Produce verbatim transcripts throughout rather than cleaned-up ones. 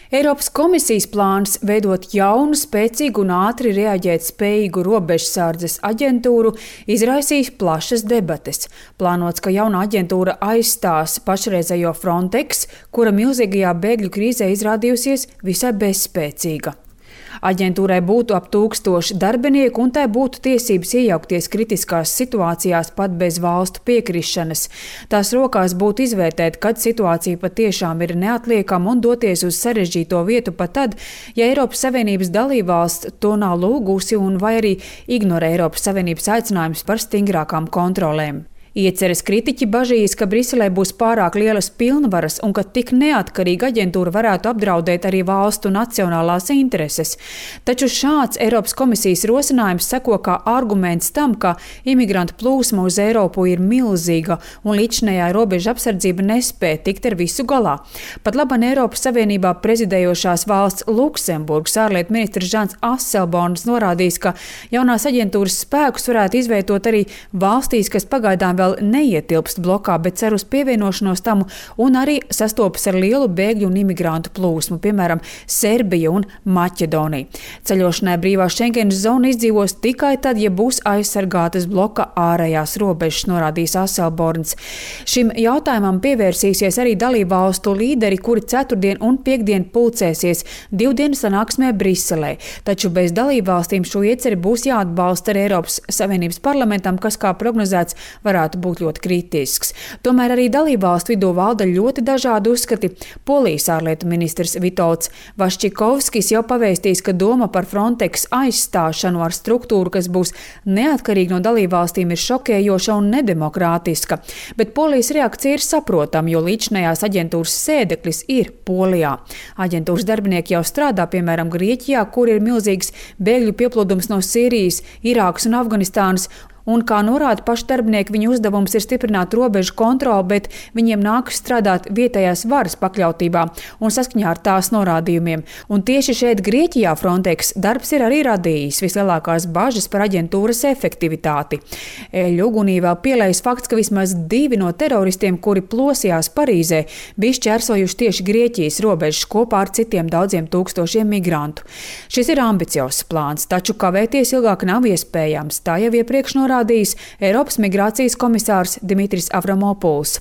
Eiropas komisijas plāns veidot jaunu, spēcīgu un ātri reaģēt spējīgu robežsardzes aģentūru izraisīs plašas debates. Plānots, ka jauna aģentūra aizstās pašreizējo Frontex, kura milzīgajā bēgļu krīzē izrādījusies visai bezspēcīga. Aģentūrai būtu ap tūkstoši darbinieku un tai būtu tiesības iejaukties kritiskās situācijās pat bez valstu piekrišanas. Tās rokās būtu izvērtēt, kad situācija patiešām ir neatliekama un doties uz sarežģīto vietu pat tad, ja Eiropas Savienības dalībvalsts to nav lūgusi un vai arī ignorē Eiropas Savienības aicinājumus par stingrākām kontrolēm. Ieceres kritiķi bažīs, ka Briselē būs pārāk lielas pilnvaras un ka tik neatkarīga aģentūra varētu apdraudēt arī valstu nacionālās intereses. Taču šāds Eiropas komisijas rosinājums seko kā arguments tam, ka imigrantu plūsma uz Eiropu ir milzīga un līdzinējā robeža apsardzība nespēja tikt ar visu galā. Pat laban Eiropas Savienībā prezidējošās valsts Luksemburgas ārlietu ministrs Žans Asselborns norādījis, ka jaunās aģentūras spēkus varētu izvietot arī valstīs, kas pagaidām vēl neietilpst blokā, bet cer uz pievienošanos tam un arī sastopas ar lielu bēgļu un imigrantu plūsmu, piemēram, Serbija un Maķedonija. Ceļošanai brīvā Schengenas zona izdzīvos tikai tad, ja būs aizsargātas bloka ārējās robežas, norādījis Asselborns. Šim jautājumam pievērsīsies arī dalībvalstu līderi, kuri ceturtdien un piekdien pulcēsies divdienu sanāksmē Briselē. Taču bez dalībvalstīm šo ieceri būs jāatbalsta ar Eiropas Savienības parlamentam, kas, kā prognozēts, varētu būt ļoti kritisks. Tomēr arī dalībvalstu vidū valda ļoti dažādi uzskati. Polijas ārlietu ministrs Vitolds Vaščikovskis jau pavēstījis, ka doma par Frontex aizstāšanu ar struktūru, kas būs neatkarīga no dalībvalstīm, ir šokējoša un nedemokrātiska. Bet Polijas reakcija ir saprotama, jo līdzinējās aģentūras sēdeklis ir Polijā. Aģentūras darbinieki jau strādā, piemēram, Grieķijā, kur ir milzīgs bēgļu pieplūdums no Sīrijas, Irākas un Afganistānas. Un, kā norāda paši darbinieki, viņu uzdevums ir stiprināt robežu kontroli, bet viņiem nākas strādāt vietējās varas pakļautībā un saskaņā ar tās norādījumiem. Un tieši šeit Grieķijā Frontex darbs ir arī radījis vislielākās bažas par aģentūras efektivitāti. Eļu ugunī vēl pielējas fakts, ka vismaz divi no teroristiem, kuri plosījās Parīzē, bija šķērsojuši tieši Grieķijas robežas kopā ar citiem daudziem tūkstošiem migrantu. Šis ir ambiciozs plāns, taču kavēties ilgāk nav iespējams. Tā jau iepriekš norādījis Eiropas migrācijas komisārs Dimitris Avramopuls.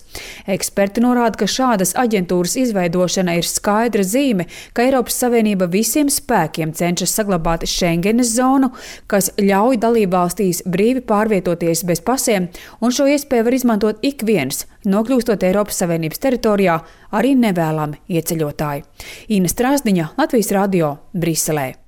Eksperti norāda, ka šādas aģentūras izveidošana ir skaidra zīme, ka Eiropas Savienība visiem spēkiem cenšas saglabāt Schengenas zonu, kas ļauj dalībvalstīs brīvi pārvietoties bez pasiem, un šo iespēju var izmantot ik viens, nokļūstot Eiropas Savienības teritorijā, arī nevēlami ieceļotāji. Ina Strāzdiņa, Latvijas radio, Briselē.